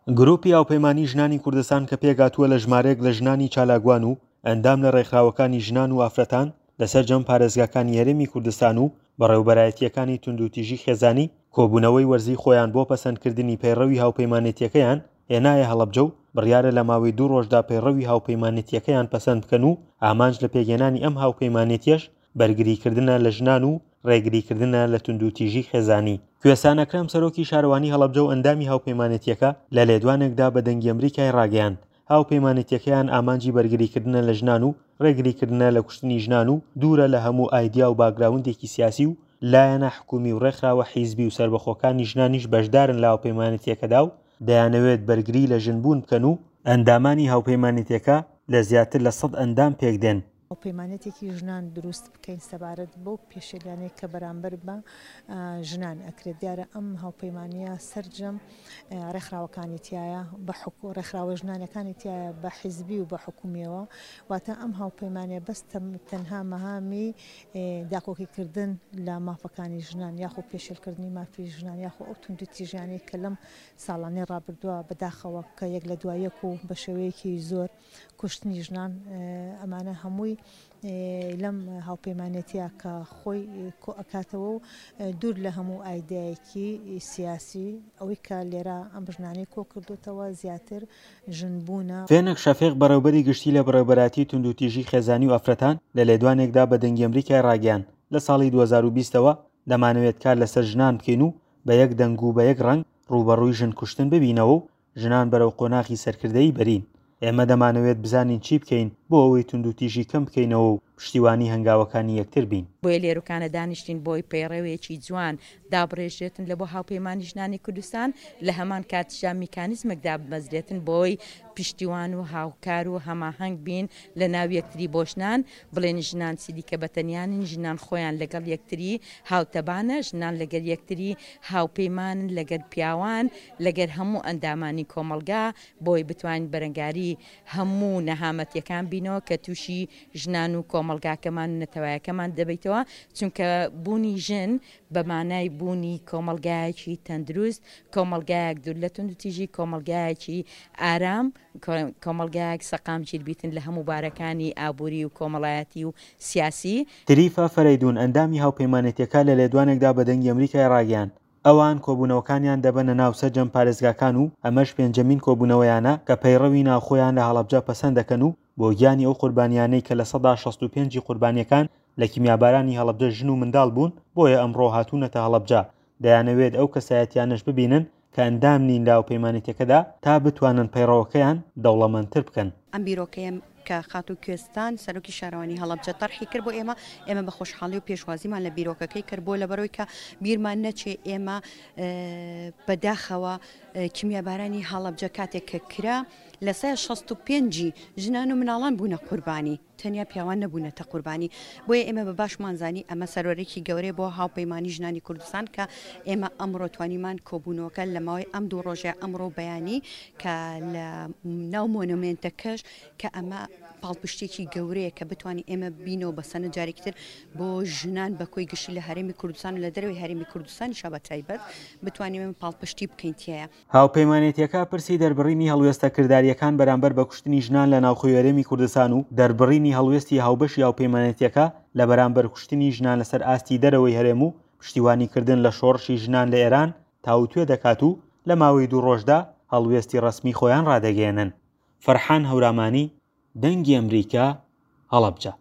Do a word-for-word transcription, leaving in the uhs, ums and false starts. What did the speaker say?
گروپی هاوپەیمانی ژنانی کوردستان کە پێکهاتووە لە ژمارەیەک لە ژنانی چالاکوان و ئەندام لە ڕێکخراوەکانی ژنان و ئافرەتان لە سەرجەم پارێزگاکانی هەرێمی کوردستان و بەڕێوبەرایەتییەکانی توندوتیژی خێزانی کۆبوونەوەی وەرزی خۆیان بۆ پەسەندکردنی پەیڕەوی هاوپەیمانێتیەکەیان هێنایە هەڵەبجە و بڕیارە لە ماوەی دوو ڕۆژدا پەیڕەوی هاوپەیمانێتیەکەیان پەسەند بکەن و ئامانج لە پێکهێنانی ئەم هاوپەیمانێتیەش بەرگریکردنە لە ژنان و ڕێگریکردنە لە توندوتیژی خێزانی. کوێستان ئەکرەم سەرۆکی شارەوانی هەڵەبجە و ئەندامی هاوپەیمانێتیەکە لە لێدوانێکدا بە دەنگی ئەمریکای ڕاگەیاند هاوپەیمانێتیەکەیان ئامانجی بەرگریکردنە لە ژنان و ڕێگریکردنە لە کوشتنی ژنان و دوورە لە هەموو ئایدیا و باکگراوندێکی سیاسی و لایەنە حکومی و ڕێکخراوە حیزبی و سەربەخۆکانی ژنانیش بەشدارن لە هاوپەیمانێتیەکەدا و دەیانەوێت بەرگری لە ژنبوون بکەن و ئەندامانی هاوپەیمانێتیەکە لە زیاتر لە سەد ئەندام پێکدێن. هاوپەیمانێتێکی ژنان دروست بکەین سەبارەت بەو پێشێلیانەی کە بەرامبەر بە ژنان ئەکرێت. دیارە ئەم هاوپەیمانیە سەرجەم ڕێکخراوەکانی تایە بە ڕێکخراوە ژنانەکانی تایە بە حیزبی و بە حکومیەوە، واتە ئەم هاوپەیمانیە بەس تەنها مەهامی داکۆکیکردن لە مافەکانی ژنان یاخۆ پێشێلکردنی مافی ژنان یاخۆ ئەو توندوتیژیانەی کە لەم ساڵانەی ڕابردووە بەداخەوە کە یەک لە دوای یەک و بە شێوەیەکی زۆر کوشتنی ژنان، ئەمانە هەمووی لەم هاوپەیمانێتیە کە خۆی کۆ ئەکاتەوە و دوور لە هەموو ئایدایەکی سیاسی ئەوەی کە لێرە ئەم ژنانەی کۆ کردوتەوە زیاتر ژنبوونە. فێنک شەفیق بەڕێوبەری گشتی لە بەڕێوبەرایەتی توندوتیژی خێزانی و ئافرەتان لە لێدوانێکدا بە دەنگی ئەمریکای ڕاگەیاند لە ساڵی دوو هەزار و بیست ەوە دەمانەوێت کار لەسەر ژنان بکەین و بە یەک دەنگ و بە یەک ڕەنگ ڕووبەڕووی ژن کوشتن ببینەوە و ژنان بەرەو قۆناغی سەرکردەیی بەرین. ئێمە دەمانەوێت بزانین چی بکەین بۆ ئەوەی توندوتیژی کەم بکەینەوە و پشتیوانی هەنگاوەکانی یەکتر بین. بۆیە لێرەکانە دانیشتین بۆی پەیڕەوێکی جوان دابڕێژێتن لە بۆ هاوپەیمانی ژنانی کوردستان، لە هەمان کاتیشدا میکانیزمێک دابمەزرێتن بۆی پشتیوان و هاوکار و هەماهەنگ بین لە ناو یەکتری بۆ ژنان، بڵێن ژنان چیدیکە بەتەنیانن، ژنان خۆیان لەگەڵ یەکتری هاوتەبانە، ژنان لەگەر یەکتری هاوپەیمانن لەگەر پیاوان، لەگەر هەموو ئەندامانی کۆمەڵگا، بۆی بتوانین بەرەنگاری هەموو نەهامەتیەکان بینەوە کە تووشی ژنان و کۆمەڵگاکەمان و نەتەوایەکەمان دەبیتەوە، چونکە بوونی ژن بە مانای بوونی کۆمەڵگایەکی تەندروست، کۆمەڵگایەک دوور لە توندوتیژی، کۆمەڵگایەکی ئارام، کۆمەڵگایەک سەقامگیر بیتن لە هەموو بارەکانی ئابووری و کۆمەڵایەتی و سیاسی. تریفە فەرەیدون ئەندامی هاوپەیمانێتیەکە لە لێدوانێکدا بە دەنگی ئەمریکای ڕاگەیاند ئەوان کۆبوونەوەکانیان دەبەنە ناو سەرجەم پارێزگاکان و ئەمەش پێنجەمین کۆبوونەوەیانە کە پەیڕەوی ناوخۆیان لە هەڵەبجە پەسەند دەکەن و بۆ گیانی ئەو قوربانیانەی کە لە سەدا شەست و پێنجی قوربانیەکان لە کیمیابارانی هەڵەبجە ژن و منداڵ بوون، بۆیە ئەمڕۆ هاتوونەتە هەڵەبجە دەیانەوێت ئەو کەسایەتیانەش ببینن کە ئەندام نین لە هاوپەیمانێتیەکەدا تا بتوانن پەیڕەوەکەیان دەوڵەمەندتر بکەن. ئەم بیرۆکەیە کە خاتوو کوێستان سەرۆکی شارەوانی هەڵەبجە تەرحی کرد بۆ ئێمە، ئێمە بە خۆشحاڵی و پێشوازیمان لە بیرۆکەکەی کرد بۆ لەبەرەوەی کە بیرمان نەچێ ئێمە بەداخەوە کیمیابارانی هەڵەبجە کاتێک کە کرا لە سەد شەست و پێنجی ژنان و مناڵان بوونە قوربانی، تەنیا پیاوان نەبوونەتە قوربانی. بۆیە ئێمە بە باشمان زانی ئەمە سەرۆرێکی گەورەیە بۆ هاوپەیمانی ژنانی کوردستان کە ئێمە ئەمڕۆ توانیمان کۆبوونەوەکە لە ماوەی ئەم دوو ڕۆژەیە ئەمڕۆ بەیانی کە لە ناو مۆنۆمێنتەکەش کە ئەمە پاڵپشتێکی گەورەیە کە بتوانین ئێمە بینەوە بە سەنە جارێکتر بۆ ژنان بە کۆی گشتی لە هەرێمی کوردستان و لە دەرەوەی هەرێمی کوردستانیشا بە تایبەت بتوانین ئێمە پاڵپشتی بکەین تیایە. هاوپەیمانێتیەکە پرسی دەربڕینی هەڵوێستە کرداریەکان بەرامبەر بە کوشتنی ژنان لە ناوخۆی هەرێمی کوردستان و دەربڕینی هەڵوێستی هاوبەشی هاوپەیمانێتیەکە لە بەرامبەر کوشتنی ژنان لەسەر ئاستی دەرەوەی هەرێم و پشتیوانیکردن لە شۆڕشی ژنان لە ئێران تاوتوێ دەکات و لە ماوەی دوو ڕۆژدا هەڵوێستی ڕەسمی خۆیان ڕادەگەیەنن. فەرحان هەورامانی، دەنگی ئەمریکا، هەڵەبجە.